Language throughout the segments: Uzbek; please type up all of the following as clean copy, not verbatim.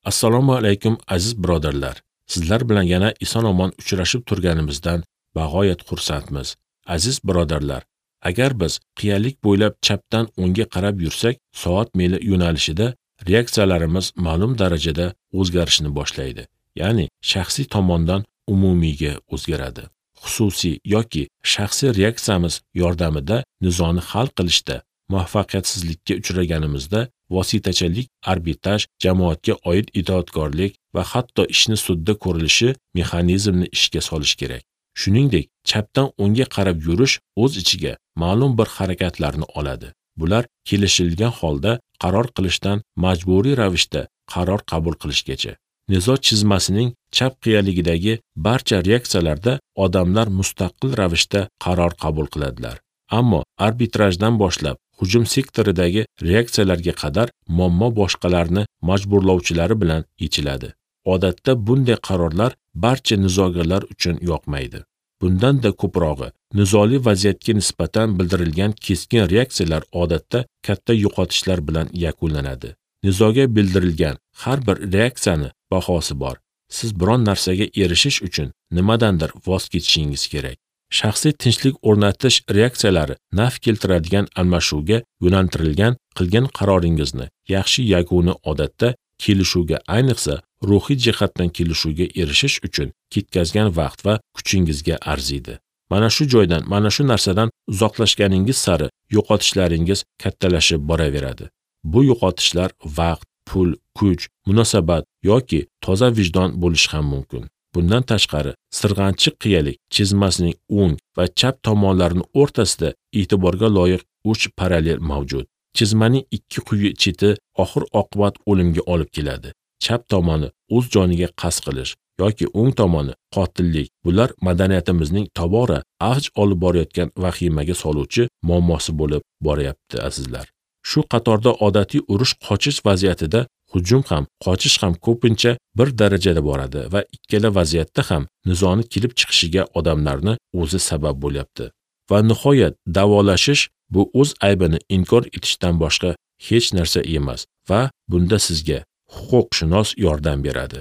Assalomu alaykum aziz birodarlar. Sizlar bilan yana eson-omon uchrashib turganimizdan bag'oyat xursandmiz. Aziz birodarlar, agar biz qiyalik bo'ylab chapdan o'ngga qarab yursak, soat mili yo'nalishida reaksiyalarimiz ma'lum darajada o'zgarishni boshlaydi. Ya'ni shaxsiy tomondan umumiyga o'zgaradi. Xususiy yoki shaxsiy reaksiyamiz yordamida nizoni hal qilishda muvaffaqiyatsizlikka uchraganimizda vositachilik, arbitraj, jamoatga oid itoatkorlik va hatto ishni sudda ko'rilishi mexanizmni ishga solish kerak. Shuningdek, chapdan o'ngga qarab yurish o'z ichiga ma'lum bir harakatlarni oladi. Bular kelishilgan holda qaror qilishdan majburiy ravishda qaror qabul qilishgacha. Nizo chizmasining chap qiyaligidagi barcha reaksiyalarda odamlar mustaqil ravishda qaror qabul qiladilar. Ammo arbitrajdan boshlab hujum sektoridagi reaksiyalarga qadar muammo boshqalarni majburlovchilari bilan yechiladi. Odatda bunday qarorlar barcha nizogarlar uchun yoqmaydi. Bundan-da ko'prog'i, nizoli vaziyatga nisbatan bildirilgan keskin reaksiyalar odatda katta yo'qotishlar bilan yakunlanadi. Nizoga bildirilgan har bir reaksiyani bahosi bor. Siz biron narsaga erishish uchun nimadandir voz kechishingiz kerak. Shaxsiy tinchlik o'rnatish reaksiyalari naf keltiradigan almashuvga yo'naltirilgan qilgan qaroringizni yaxshi yakuni odatda kelishuvga, ayniqsa ruhiy jihatdan kelishuvga erishish uchun ketkazgan vaqt va kuchingizga arziydi. Mana shu joydan, mana shu narsadan uzoqlashganingiz sari yo'qotishlaringiz kattalashib boraveradi. Bu yo'qotishlar vaqt, pul, kuch, munosabat yoki toza vijdon bo'lishi ham mumkin. Bundan tashqari, sirg'anchiq qiyalik chizmasining o'ng va chap tomonlarining o'rtasida e'tiborga loyiq 3 parallel mavjud. Chizmaning ikki quyi cheti oxir-oqibat o'limga olib keladi. Chap tomoni o'z joniga qasd qilish yoki o'ng tomoni qotillik. Bular madaniyatimizning tobora avj olib borayotgan vahimaga soluvchi muammosi bo'lib boryapti, azizlar. Shu qatorda odatiy urush qochish vaziyatida hujum ham, qochish ham ko'pincha bir darajada boradi va ikkala vaziyatda ham nizoni kelib chiqishiga odamlarni o'zi sabab bo'lyapti. Va nihoyat da'volashish bu o'z aybini inkor etishdan boshqa hech narsa emas va bunda sizga huquqshunos yordam beradi.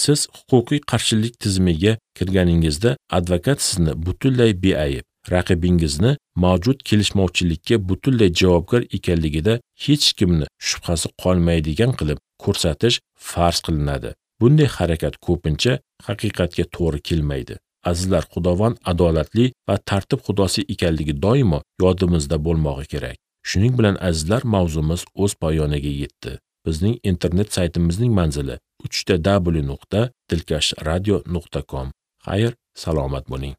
Siz huquqiy qarshilik tizimiga kirganingizda advokat sizni butunlay beayb, raqibingizni mavjud kelishmovchilikka butunlay javobgar ekanligida hech kimni shubhasi qolmaydigan qilib ko'rsatish farz qilinadi. Bunday harakat ko'pincha haqiqatga to'g'ri kelmaydi. Azizlar, Xudovand adolatli va tartib xudosi ekanligi doimo yodimizda bo'lmog'i kerak. Shuning bilan azizlar, mavzumiz o'z poyoniga yetdi. Bizning internet saytimizning manzili www.dilkashradio.com. Xayr, salomat bo'ling.